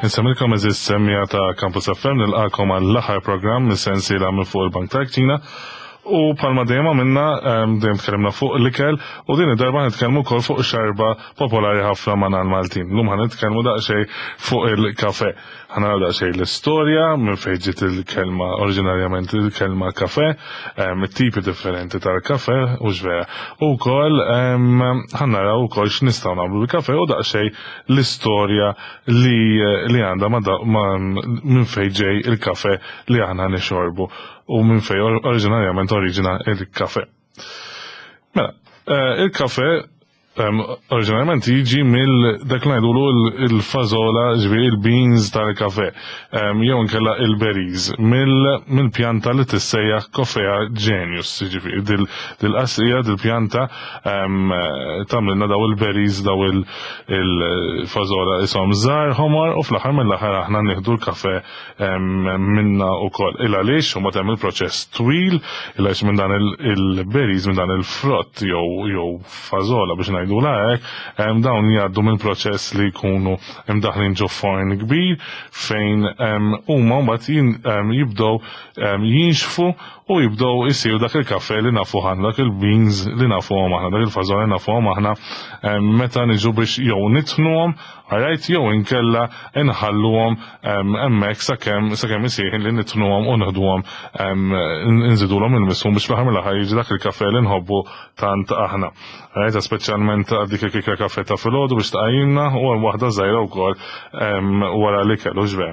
Insemmilkom eżis semmija ta' Campus FM nilqakom għall-aħħar programm mis-sensiela minn fuq il-Bank tal-Kċina. U palma dejjem għamilna, dejjem tkellimna fuq l-ikel u din id-darba nitkellmu wkoll fuq xarba popolari ħafna ma' l-Maltin. Lum ħa nitkellmu daqsxejn fuq il-kafe. Ħa naraw daqsxejn l-istorja minn fejn ġiet il-kelma oriġinarjament il-kelma kafe, it-tipi differenti tal-kafe u x'vera. U wkoll ħa naraw ukoll x'nistgħu nagħmlu bil-kafe u daqsxejn l-istorja li li għandha minn fejn ġej il-kafe li aħna nixorbu u minn fejn oriġinarjament oriġina il-kafe. Mela, il-kafe oriġinarjament jiġi mill dak li ngħidulu il-fażola, ġifieri il-beans tal-kafe, jew inkella il-berries, mill-pjanta li tissejjaħ Coffea genius, ġifieri dil-qasrija, dil-pjanta tagħmlilna daw il-berries, daw il-fażola ishom żgħar ħomor u fl-aħħar mill-aħħar aħna nieħdu l-kafe minna wkoll. Il għaliex u hemm il-proċess twil, il għaliex minn dan il-berries, minn dan il-frott jew fażola biex ngħidulha hekk, dawn jgħaddu minn proċess li jkunu imdaħlin ġo forn kbir fejn huma mbagħad jibdew jinxfu u jibdew isiru dak il-kafe li nafu aħna, dak il-beans li nafuhom aħna, dak il-fażola li nafuhom aħna meta niġu biex jew nitħnuhom, alright, jew inkella inħalluhom hemmhekk sakemm isir li nitħnuhom u nieħduhom nżidulhom il-misħun biex fl-aħħar mill-aħħar jiġi dak il-kafe li nħobbu tant aħna. Right, speċjalment għal dik il-kikra kafe ta' filgħodu biex tqajjimna u hemm waħda żgħira wkoll wara l-ikel u x'vera.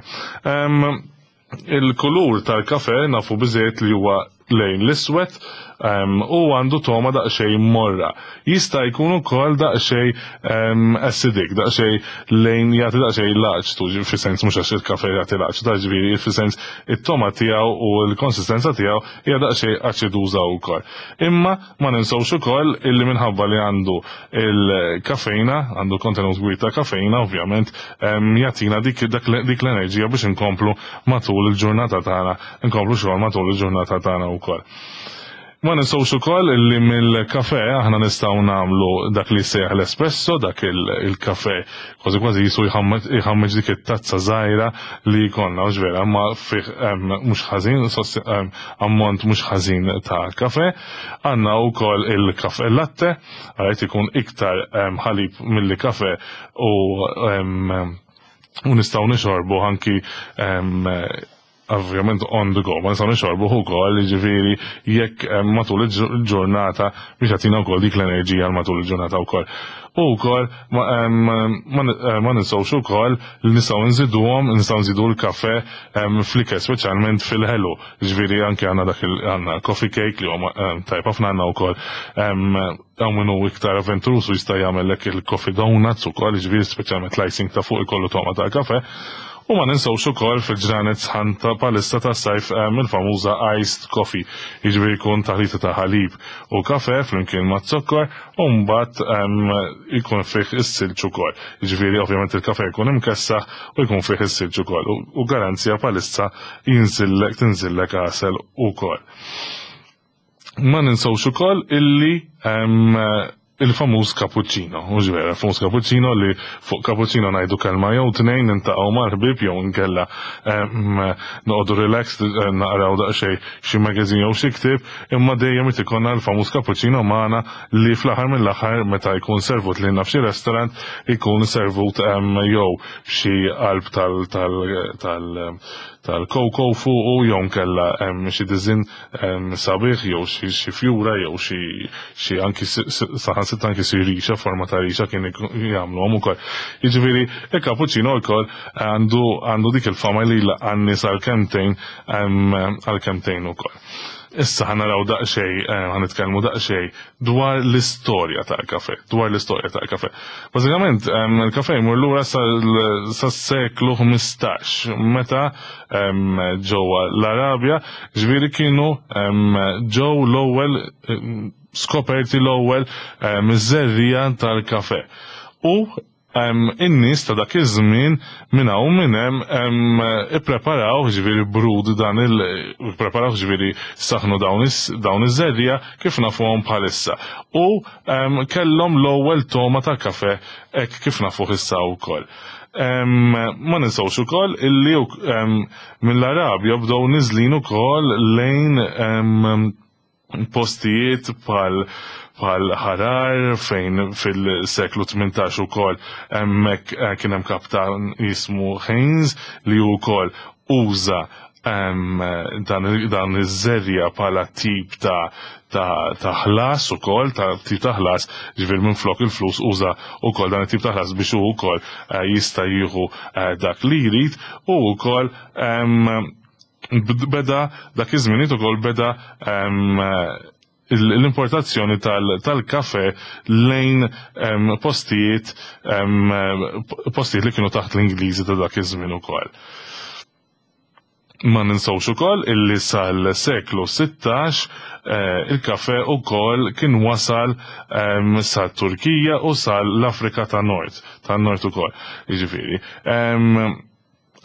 Il-kulur tal-kafe nafu biżejjed li huwa lejn l-iswed u għandu toma daqsxejn morra. Jista' jkun ukoll daqsxejn acidic, daqsxejn lejn jagħti daqsxejn laċtu, fi sens mhux għax il-kafe jagħti laċtu, ta' ġifieri fi sens it-toma tiegħu u l-konsistenza tiegħu hija daqsxejn aċiduża wkoll. Imma ma ninsewx ukoll illi minħabba li għandu il-kafeina, għandu kontenut kbir ta' kafeina, ovvjament, jagħtina dik l-enerġija biex inkomplu matul il-ġurnata tagħna, inkomplu xogħol matul il-ġurnata tagħna wkoll. Ma ninsewx ukoll illi mill-kafe aħna nistgħu nagħmlu dak li jsejjaħ l-espresso, dak il-kafe kważi kważi jisu jħammeġ dik it-tazza żgħira li jkollna, mhux vera, imma fih mhux ħażin, ammont mhux ħażin ta' kafe. Għandna wkoll il-kafe latte, għajt ikun iktar ħalib milli kafe u u nistgħu nixorbu anki ovvjament on the go, ma nistgħu nixorbu ukoll, jiġifieri jekk matul il-ġurnata biex jagħtina wkoll dik l-enerġija matul il-ġurnata wkoll. U wkoll ma ninsewx ukoll li nistgħu nżiduhom, nistgħu nżidu l-kafe fl-ikel, speċjalment fil-ħelu. Ġifieri anke għandna dak għandna coffee cake li huwa tajb ħafna għandna wkoll hawn min hu iktar avventuruż u jista' jagħmellek il-coffee donuts ukoll, ġifieri speċjalment l-icing ta' fuq ikollu togħma tal-kafe. U ma ninsewx ukoll fil-ġranet sħan ta' palissa tas-sajf il-famuża iced coffee, jiġifieri jkun taħlita ta' ħalib u kafe flimkien ma' zokkor u mbagħad jkun fih is-silġ ukoll. Jiġifieri ovvjament il-kafe jkun imkessaħ u jkun fih is-silġ ukoll u garanzija palissa jinżillek tinżillek għasel ukoll. Ma ninsewx ukoll illi il-famuż cappuccino, mhux vera, il-famuż cappuccino li fuq cappuccino ngħidu kelma jew tnejn nintaqgħu mal-ħbieb jew inkella noqogħdu relaxed naqraw daqsxejn xi magazine jew xi ktieb, imma dejjem irid ikollna l-famuż cappuccino magħna li fl-aħħar mill-aħħar meta jkun servut lilna f'xi restaurant ikun servut jew xi qalb tal-koko fuqu jew nkella xi diżinn sabiħ jew xi fjura jew xi anki saħansitra anki xi rixa, forma ta' rixa kien jagħmluhom ukoll. Jiġifieri il-cappuccino wkoll għandu dik il-fama li jlaqqa' n-nies għal kemmtejn għal kemmtejn ukoll. Issa ħa naraw daqsxejn, ħa nitkellmu daqsxejn dwar l-istorja tal-kafe, dwar l-istorja tal-kafe. Bażikament il-kafe jmur lura sas-seklu 15 meta ġewwa l-Arabja, ġifieri kienu ġew l-ewwel skoperti l-ewwel miż-żerriegħa tal-kafe. U in-nies ta' dak iż-żmien minn hawn minn hemm ippreparaw ġifieri brud dan il ippreparaw ġifieri saħnu dawn iż-żerriegħa kif nafuhom bħalissa. U kellhom l-ewwel togħma ta' kafe hekk kif nafuh issa wkoll. Ma ninsawx ukoll illi mill-Arabja bdew niżlin ukoll lejn postijiet bħal bħal Ħarar fejn fil-seklu 18 ukoll hemmhekk eh, kien hemm kaptan jismu Haynes li wkoll uża dan iż-żerja bħala tip ta' ta' ħlas ukoll, ta' tip ta' ħlas, ġifier minflok il-flus uża ukoll dan it-tip ta' ħlas biex hu wkoll eh, jista' jieħu eh, dak li jrid u wkoll beda dak iż-żminijiet ukoll beda l-importazzjoni tal-kafe lejn postijiet postijiet li kienu taħt l-Ingliżi ta' dak iż-żmien ukoll. Ma ninsawx ukoll illi sal-seklu 16 eh, il-kafe ukoll kien wasal sal-Turkija u sal-Afrika ta' Nord, ta' Nord ukoll. Jiġifieri.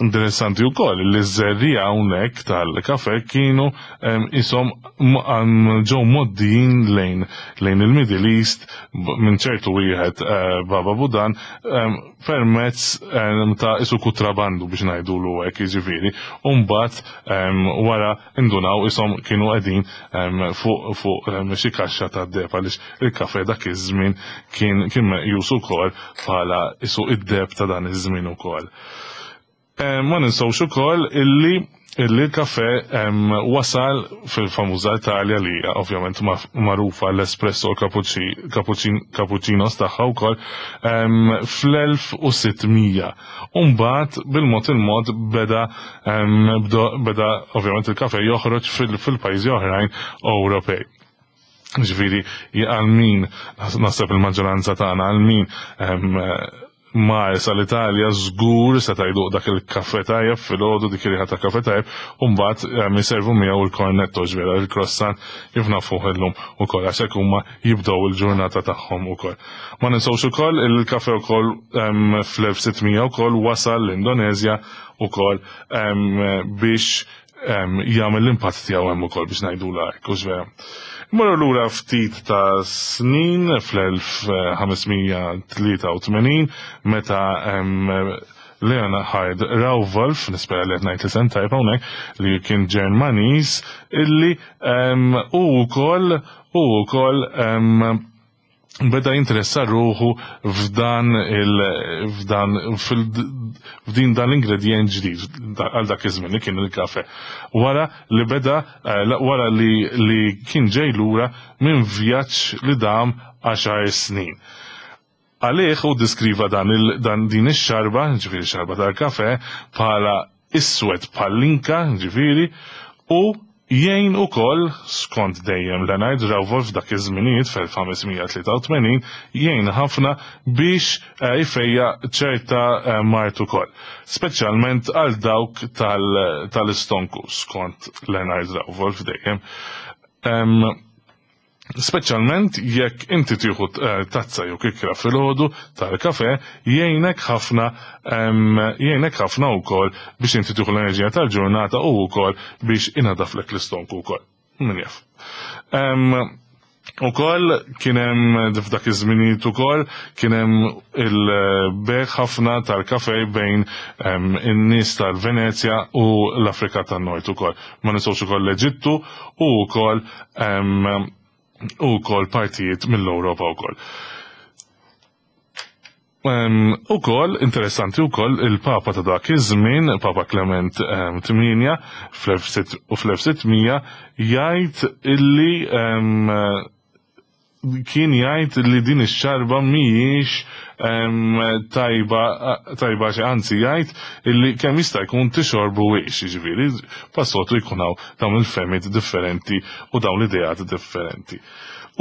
Interessanti wkoll li ż-żerriegħa hawnhekk tal-kafe kienu isom ġew moddijin lejn lejn il-Middle East minn ċertu wieħed eh, Baba Budan permezz ta' isu kutrabandu biex ngħidulu hekk jiġifieri. U mbagħad wara indunaw isom kienu qegħdin fuq fuq xi kaxxa ta' deb għaliex il-kafe dak iż-żmien kien kien meqjus ukoll bħala isu id-deb ta' dan iż-żmien ukoll. Eh, ma ninsawx ukoll illi illi l-kafe wasal fil-famuża Italja li hija ovvjament magħrufa l-espresso u cappuccinos tagħha wkoll fl-1600. U mbagħad bil-mod il-mod beda beda ovvjament il-kafe joħroġ fil-pajjiżi oħrajn Ewropej. Ġifieri għal min naħseb il-maġġoranza tagħna għal min mar sal-Italja żgur seta' jduq dak il-kafè tajjeb filgħodu dik ir-riħa ta' kafè tajjeb u mbagħad iservu miegħu il-cornetto ġifieri il-croissant kif nafuh illum ukoll għax hekk huma jibdew il-ġurnata tagħhom ukoll. Ma ninsewx ukoll il-kafè ukoll fl-1600 ukoll wasal l-Indoneżja ukoll biex jagħmel l-impatt tiegħu hemm ukoll biex ngħidula hekk, hux vera. Imorru lura ftit ta' snin fl-1583 meta Leonhard Rauwolf, nispera li qed ngħid l-isem tajb hawnhekk, li kien Ġermaniż illi hu wkoll hu wkoll beda jinteressa ruħu f'dan il f'dan f'din dan l-ingredjent ġdid għal dak iż-żmien li kien il-kafe. Wara li beda eh, wara li li kien ġej lura minn vjaġġ li dam għaxar snin. Għalih hu ddiskriva dan il dan din ix-xarba, ġifieri xarba tal-kafe, bħala iswed bħall-inka, ġifieri, u Jgħin ukoll, skont dejjem Leonard Rauwolf f'dak iż-żminijiet fl-1583, jgħin ħafna biex jfejjaq ċerta mard ukoll, speċjalment għal dawk tal-istonku, skont Leonard Rauwolf dejjem. Speċjalment jekk inti tieħu eh, tazza jew kikra filgħodu tal-kafe jgħinek ħafna jgħinek ħafna wkoll biex inti tieħu l-enerġija tal-ġurnata u wkoll biex inadaflek l-istonku wkoll. Min jaf. Ukoll kien hemm f'dak iż-żminijiet ukoll kien hemm il-beħ ħafna tal-kafe bejn in-nies tal-Venezja u l-Afrika tan-Nord ukoll. Ma ninsewx ukoll l-Eġittu u wkoll u wkoll partijiet mill-Ewropa wkoll. Ukoll interessanti wkoll il-Papa ta' dak iż-żmien, Papa Clement 8 fl-1600 jgħid illi kien jgħid li din ix-xarba mhijiex tajba tajba xi anzi jgħid illi kemm jista' jkun tixorbu wiex, jiġifieri passotu jkun hawn dawn il-fehmiet differenti u dawn l-ideat differenti.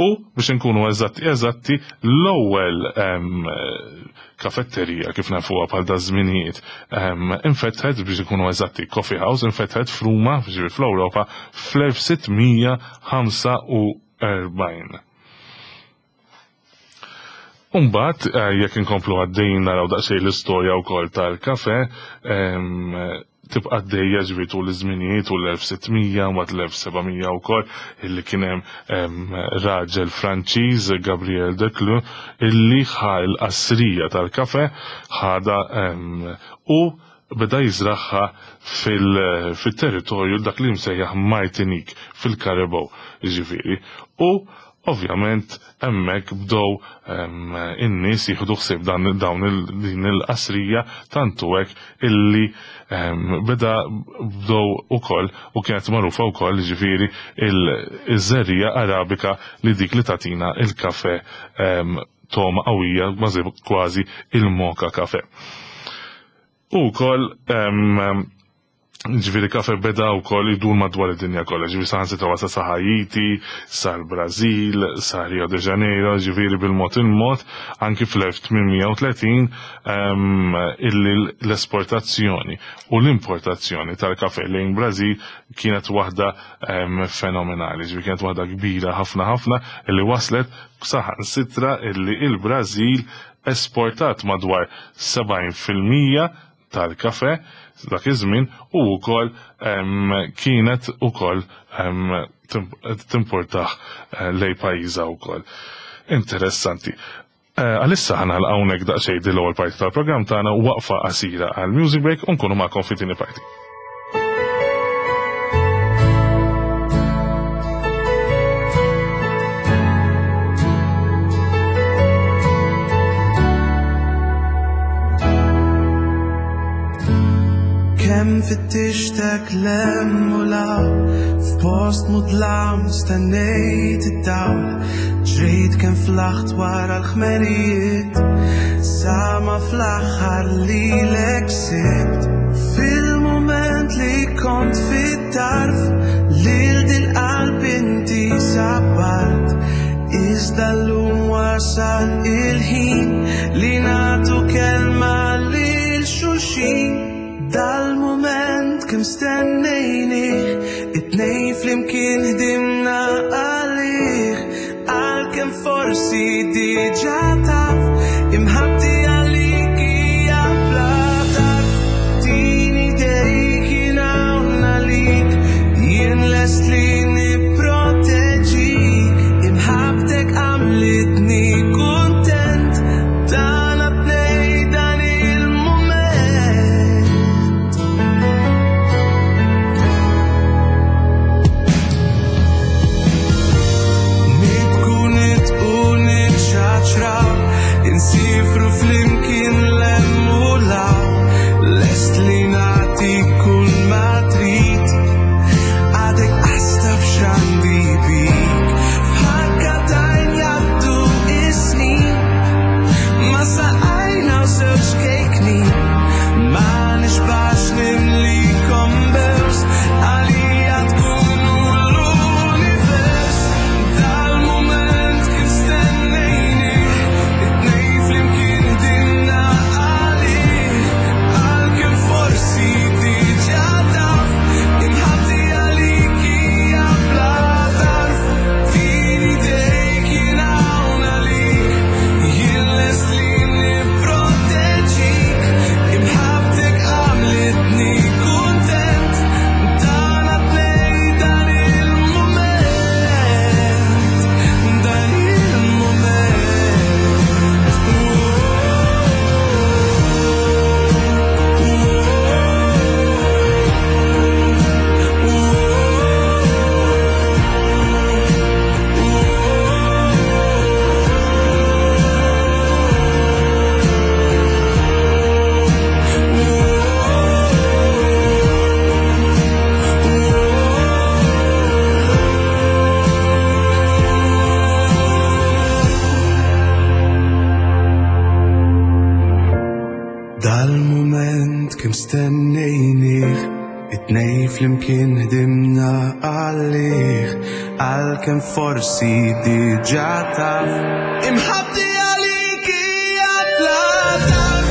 U biex inkunu eżatti eżatti l-ewwel kafetterija kif nafuha bħal da żminijiet infetħet biex ikunu eżatti coffee house infetħet f'Ruma, ġifieri fl-Ewropa fl-1645 40. Umbat, eh, jekk inkomplu għaddejn naraw daqsxejn l-istorja wkoll tal-kafe, tibqa' għaddejja ġifieri tul iż-żminijiet tul l-1600 mbagħad l-1700 wkoll illi kien hemm raġel Franċiż Gabriel Declue illi ħa l-qasrija tal-kafe ħadha u beda jiżragħha fil-territorju dak li msejjaħ Martinique fil-Karibew jiġifieri. U ovvjament hemmhekk bdew in-nies jieħdu ħsieb dan dawn din il-qasrija tant hu hekk illi beda bdew ukoll u kienet magħrufa wkoll jiġifieri iż-żerriegħa Arabika li dik li tagħtina il-kafe togħma qawwija kważi il-moka kafe. U wkoll ġifieri kafe beda wkoll idur madwar id-dinja kollha, ġifieri saħansitra wasal sa Haiti, sal-Brażil, sa Rio de Janeiro, ġifieri bil-mod il-mod anki fl-1830 illi l-esportazzjoni u l-importazzjoni tal-kafe lejn Brażil kienet waħda fenomenali, ġifieri kienet waħda kbira ħafna ħafna illi waslet saħansitra illi il-Brażil esportat madwar 70% tal-kafe dak iż-żmien u wkoll kienet ukoll timportah lejn pajjiżha wkoll. Interessanti. Għalissa ħa nagħlaq hawnhekk daqsxejn din l-ewwel parti tal-programm tagħna waqfa qasira għal music break u nkunu magħkom fit-tieni parti. Kemm fittixtek lem u law F'post mudlam stennejt id-dawl Ġrejt kemm flaħt wara l-ħmerijiet Sa ma fl-aħħar lilek sibt Fil-mument li kont fit-tarf Lil dil-qalb inti sabbart Iżda llum wasal il-ħin Li nagħtu kelma lil xulxin Dal-mument kemm stennejnih It-tnejn flimkien ħdimna għalih Għalkemm forsi diġà taf Imħabbti għalik hija bla tarf Tini idejk jien hawn għalik Jien lest li nipproteġik Imħabbtek għamlitni kuntent Tagħna tnej dan il-mument Nibku nitqu nitċaċraw Insifru flimkien l-hemm u l-hawn Lest li nagħtik kull ma trid Għadek qas taf x'għandi bik F'ħakka t'għajn jgħaddu is-snin Ma saqajna u żewġ kejknin Ma nixbax nimlikom bews Għalija tkunu l-univers Dal-mument kif stennejnih It-tnejn flimkien ħdimna għalih Għalkemm forsi diġà taf Imħabbti għalik hija bla tarf Tini idejk jien hawn għalik Jien lest li nipproteġik Imħabbtek għamlitni kuntent Tagħna tnej dan il-mument Dan il-mument Dal-mument kemm stennejnih It-tnejn flimkien ħdimna għalih Għalkemm forsi diġà taf Imħabbti għalik hija bla tarf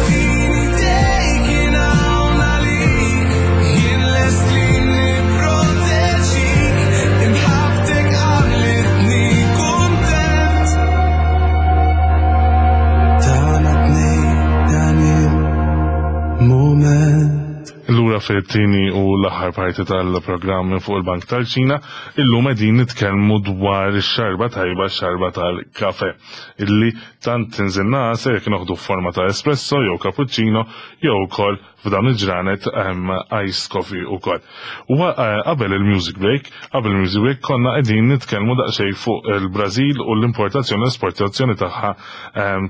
Tini idejk jien hawn għalik Jien lest li nipproteġik Imħabbtek għamlitni kuntent Tagħna tnejn dan il-mument. Lura fit-tieni u l-aħħar parti tal-programm minn fuq il-Bank tal-Ċina, illum qegħdin nitkellmu dwar ix-xarba tajba xarba tal-kafe illi tant tinżilna għasel jekk noħdu f'forma ta' espresso jew cappuccino jew ukoll f'dawn il-ġranet iced coffee ukoll. Eh, qabel il-music break, qabel il-music break konna qegħdin nitkellmu daqsxejn fuq il-Brażil u l-importazzjoni u l-esportazzjoni tagħha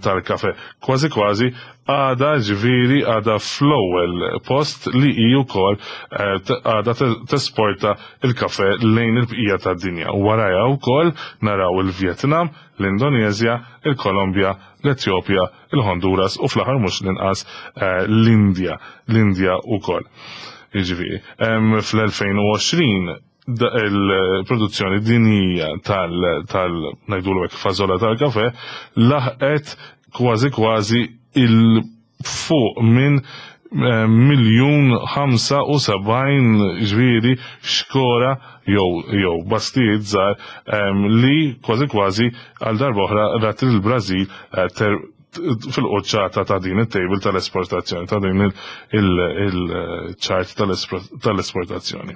tal-kafe. Kważi kważi għada ġifieri għada fl-ewwel post li hi wkoll eh, għada tesporta il-kafe lejn il-bqija tad-dinja. Warajha wkoll naraw il-Vjetnam, l-Indonezja, il-Kolombja, l-Etjopja, il-Honduras u fl-aħħar mhux l-inqas eh, l-Indja, l-Indja wkoll. Jiġifieri, fl-2020 il-produzzjoni dinjija tal, tal ngħidulu hekk fażola tal-kafe laħqet kważi kważi il fuq minn eh, 1,075 ġviri xkora jew jew bastijiet żgħar li kważi kważi għal darba oħra rat il-Brażil eh, fil-qoċċata ta' din it-table tal-esportazzjoni, ta' din il-ċart tal-esportazzjoni.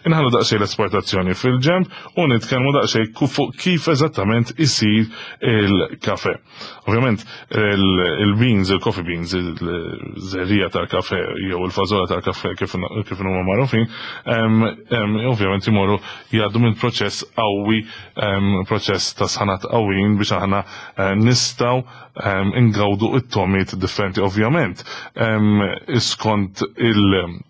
Inħallu daqsxejn l-esportazzjoni fil-ġemp u nitkellmu daqsxejn fuq kif eżattament isir il-kafe. Ovvjament, il-beans, il-coffee beans, il-żerrija tal-kafe jew il-fażola tal-kafe kif huma magħrufin, ovvjament imorru jgħaddu minn proċess qawwi, proċess ta' sħanat qawwin biex aħna eh, nistgħu ingawdu it-tomiet differenti ovvjament. Skont il-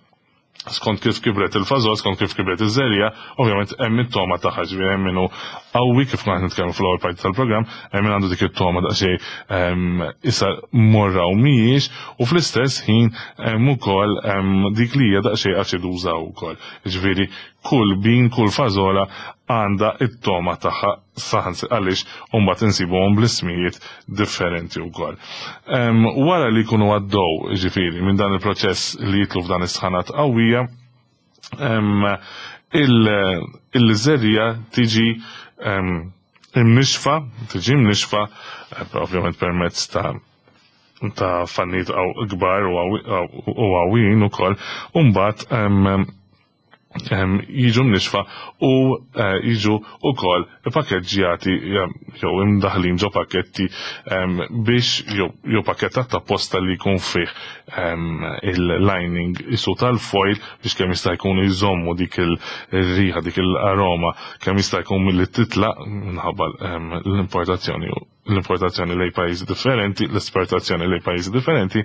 skont kif kibret il-fażol, skont kif kibret iż-żerja, ovvjament hemm it-toma tagħha ġifieri hemm minnu qawwi kif konna nitkellmu fl-ewwel parti tal-programm, hemm min għandu dik it-toma daqsxejn issa morra u mhijiex u fl-istess ħin hemm ukoll dik li hija daqsxejn aċiduża wkoll. Ġifieri kull bin, kull fażola għandha it-toma tagħha saħansi għaliex mbagħad insibuhom bl-ismijiet differenti wkoll. Wara li jkunu għaddew ġifieri minn dan il-proċess li jitlu f'dan is-sħanat qawwija, il-żerrija tiġi imnixfa, tiġi imnixfa, eh, ovvjament permezz ta' ta' fannijiet kbar u għawin ukoll, u mbagħad jiġu mnixfa u eh, jiġu wkoll ipakkeġġjati jew imdaħlin ġo pakketti biex jew pakkettat ta' posta li jkun fih il-lining isu tal-foil biex kemm jista' jkun jżommu dik il-riħa, dik il-aroma kemm jista' jkun milli titlaq minħabba l-importazzjoni l-importazzjoni lejn pajjiżi differenti, l-esportazzjoni lejn pajjiżi differenti,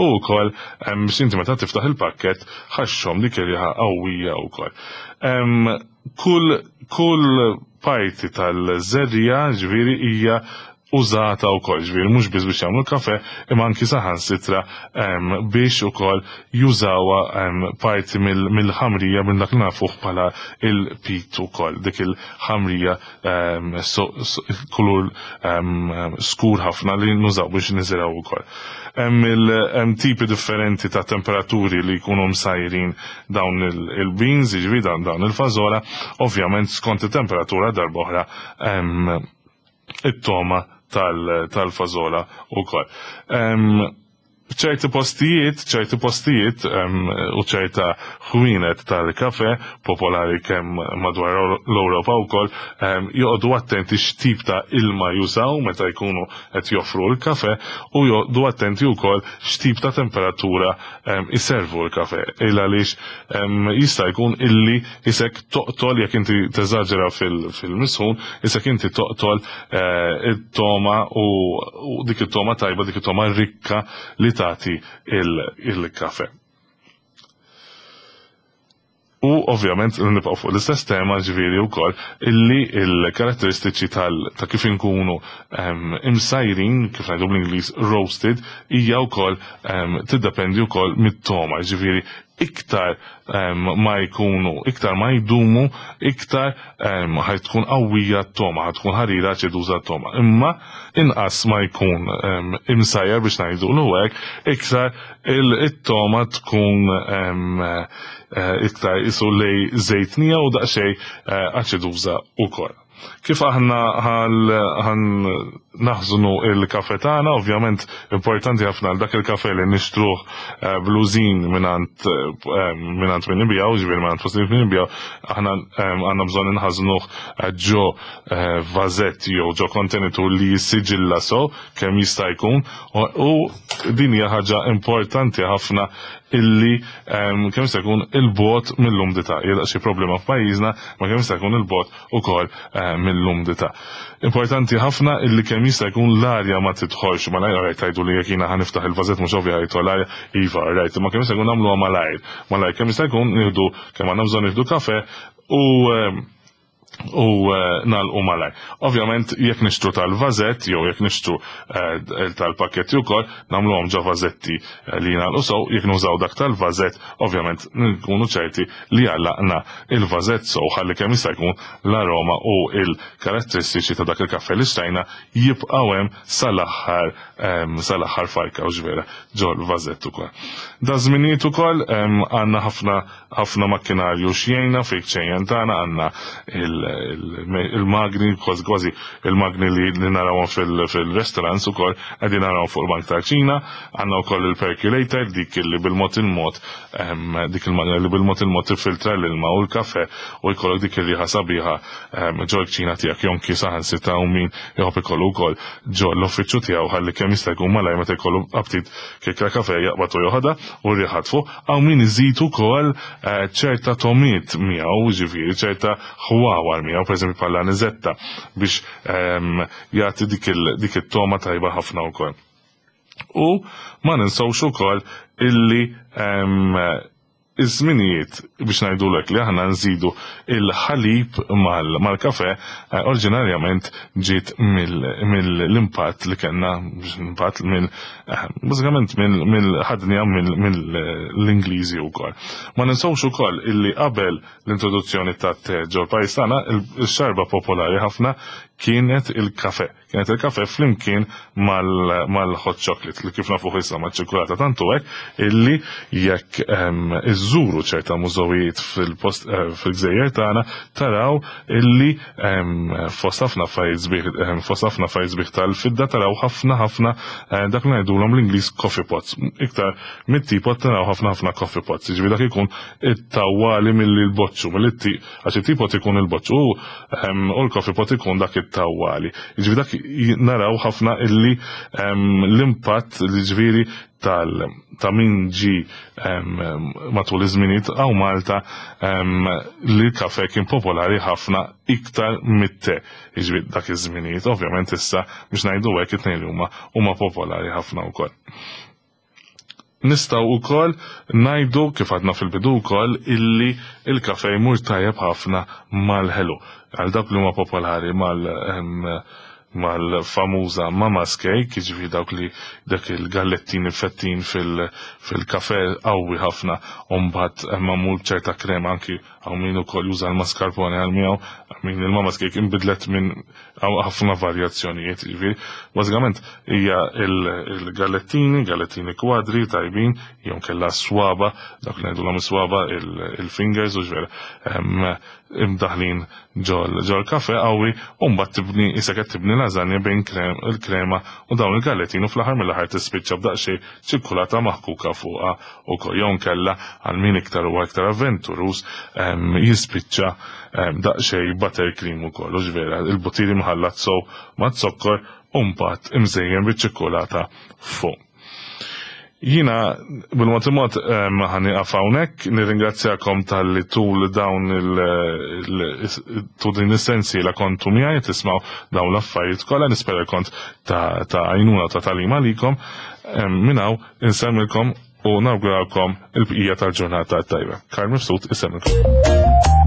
u wkoll biex inti meta tiftaħ il-pakkett ħaxxhom dik ir-riħa qawwija wkoll. Kull kull parti tal-żerrija ġifieri hija użata wkoll, ġifieri mhux biss biex jagħmlu kafe, imma anki saħansitra biex ukoll jużawha parti mill-ħamrija minn dak li nafuh bħala il-pit ukoll, dik il-ħamrija kulur skur ħafna li nużaw biex niżiraw ukoll. Hemm tipi differenti ta' temperaturi li jkunu msajrin dawn il-beans, jiġifieri dawn il-fażola, ovvjament skont it-temperatura darba oħra it-toma tal-fażola wkoll. ċerti postijiet, ċerti postijiet u ċerta ħwienet tal-kafe popolari kemm madwar l-Ewropa wkoll joqogħdu attenti x'tip ta' ilma jużaw meta jkunu qed joffru l-kafe u joqogħdu attenti wkoll x'tip ta' temperatura iservu l-kafe. Il għaliex jista' jkun illi isek toqtol jekk inti teżaġera fil-misħun, isek inti toqtol eh, it-toma u dik it-toma tajba, dik it-toma rikka li tagħti il-kafe. U ovvjament nibqgħu fuq l-istess tema ġifieri wkoll illi l-karatteristiċi tal ta' kif inkunu ehm, imsajrin, kif ngħidu bl-Ingliż roasted, hija wkoll ehm, tiddependi wkoll mit-toma, ġifieri iktar ehm, ma jkunu, iktar ma jdumu, iktar ħaj tkun qawwija t-toma, ħaj tkun ħarira aċiduża t-toma. Imma inqas ma jkun imsajjar biex ngħidu l hekk, iktar it-toma tkun eh, iktar isu lej żejtnija u daqsxejn eh, aċiduża wkoll. Kif aħna ħan Naħżnu il-kafe tagħna, ovvjament importanti ħafna għal dak il-kafe li nixtruh blużin mingħand mingħand min ibiegħu, ġifieri mingħand postijiet min ibiegħu, aħna għandna bżonn inħażnuh ġo vażett jew ġo kontenitur li jissiġilla so kemm jista' jkun u din hija ħaġa importanti ħafna illi kemm jista' jkun il-bogħod mill-umdità. Hija daqsxejn problema f'pajjiżna, ma kemm jista' jkun il-bogħod ukoll mill-umdità. Importanti ħafna illi kemm jista' jkun l-arja ma tidħolx malajr, alright tgħidu li jekk jiena ħa niftaħ il-vażett mhux ovvja jidħol l-arja, iva alright, imma kemm jista' jkun nagħmluha malajr. Malajr kemm jista' jkun nieħdu kemm għandna bżonn nieħdu kafe u u nagħlqu malajr. Ovvjament jekk nixtru tal-vażett jew jekk nixtru tal-pakketti wkoll nagħmluhom ġo vażetti li jingħalqu sew, jekk nużaw dak tal-vażett ovvjament nkunu ċerti li għallaqna il-vażett sew ħalli kemm jista' jkun l-aroma u l-karatteristiċi ta' dak il-kaffè li xtrajna jibqgħu hemm sal-aħħar sal-aħħar farka u ġvera ġol-vażett ukoll. Da żminijiet ukoll għandna ħafna ħafna makkinarju x'jgħinna fil-kċejjen tagħna għandna il-magni kważi kważi il-magni li narawhom fil-restaurants ukoll qegħdin narawhom fuq il-bank tal-kċina, għandna wkoll il-percolator dik li bil-mod il-mod dik il-magna li bil-mod il-mod tiffiltra l-ilma u l-kafe u jkollok dik ir-riħa sabiħa ġol-kċina tiegħek jew anki saħansitra hawn min iħobb ikollu wkoll ġo l-uffiċċju tiegħu ħalli kemm jista' jkun malajr meta jkollu aptit kikkra kafe jaqbad u joħodha u r-riħa tfuħ. Hawn min iżid ukoll ċerta tomiet miegħu, jiġifieri ċerta ħwawar miegħu, pereżempju bħal aniżetta biex jagħti dik it-togħma tajba ħafna wkoll. U ma ninsewx ukoll illi iż-żminijiet biex ngħidulek li aħna nżidu il-ħalib mal-kafe oriġinarjament ġiet mill-impatt li kellna impatt mill bażikament mill-ħadnija mill-Ingliżi wkoll. Ma ninsewx ukoll illi qabel l-introduzzjoni tat-te ġol-pajjiż tagħna il-xarba popolari ħafna kienet il-kafe. Kienet il-kafe flimkien mal-hot chocolate li kif nafuh issa maċ-ċikulata tant hu hekk illi jekk iżżuru ċerta mużewijiet fil-post fil-gżejjer tagħna taraw illi fost ħafna affarijiet sbieħ fost ħafna affarijiet sbieħ tal-fidda taraw ħafna ħafna dak li ngħidulhom l-Ingliż coffee pots. Iktar mit-teapot taraw ħafna ħafna coffee pots. Jiġifieri dak ikun it-tawwali milli l-boċċu, milli Għax it-teapot ikun il-boċċ u u l-coffee pot ikun dak it-tawwali. Jiġifieri dak naraw ħafna illi l-impatt li ġifieri tal ta' min ġi matul iż-żminijiet hawn Malta li l-kafe kien popolari ħafna iktar mit-te. Jiġifieri dak iż-żminijiet, ovvjament issa biex ngħidu hekk it-tnejn li huma huma popolari ħafna wkoll. Nistgħu wkoll ngħidu kif għadna fil-bidu wkoll illi il-kafe jmur tajjeb ħafna mal-ħelu. Għal dawk li huma popolari mal mal-famuża mama's cake, jiġifieri dawk li dak il-gallettini fettin fil-kafe qawwi ħafna u mbagħad magħmul b'ċerta krema anki hawn min ukoll juża l-mascarpone għal miegħu, min il-mama's cake inbidlet minn Hawn ħafna varjazzjonijiet, jiġifieri, bażikament hija il-gallettini, gallettini kwadri tajbin, jew kella swaba, dak li ngħidulhom is-swaba, il-fingers u ġvera, imdaħlin ġol kafe qawwi u mbagħad tibni isek qed tibni lażanja bejn il-krema u dawn il-gallettini u fl-aħħar mill-aħħar tispiċċa b'daqsxejn ċikkulata maħkuka fuqha ukoll jew nkella għal min iktar huwa iktar avventuruż jispiċċa daqsxejn buttercream ukoll, hux vera, il-butir imħallat sew maz-zokkor u mbagħad imżejjen biċ-ċikkulata fuq. Jiena bil-mod il-mod ħa nieqaf hawnhekk, nirringrazzjakom talli tul dawn il tul din is-sensiela kontu miegħi tismgħu dawn l-affarijiet kollha, nispera kont ta' għajnuna ta' tagħlim għalikom. Minn hawn insellmilkom u nawguralkom il-bqija tal-ġurnata tajba. Karl Mifsud isellmilkom.